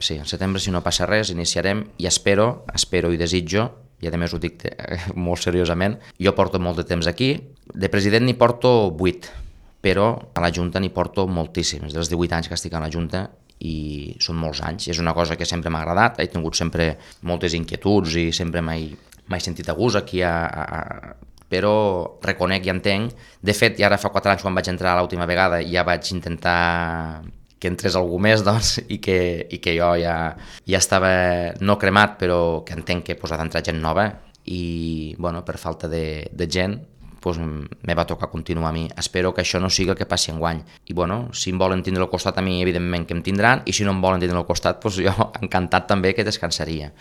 Sí, en setembre, si no passa res, iniciarem i espero i desitjo, i a més ho dic molt seriosament, jo porto molt de temps aquí, de president n'hi porto 8, però a la Junta n'hi porto moltíssims, dels 18 anys que estic a la Junta, i són molts anys, és una cosa que sempre m'ha agradat, he tingut sempre moltes inquietuds i sempre m'he sentit a gust aquí però reconec i entenc, de fet ja ara fa 4 anys quan vaig entrar l'última vegada ja vaig intentar que entrés algú més doncs, i que jo ja estava no cremat però que entenc que ha d'entrar gent nova i bueno, per falta de gent doncs me va tocar continuar a mi. Espero que això no sigui el que passi enguany. I bueno, si em volen tindre al costat a mi, evidentment que em tindran, i si no em volen tindre al costat, doncs jo encantat també que descansaria.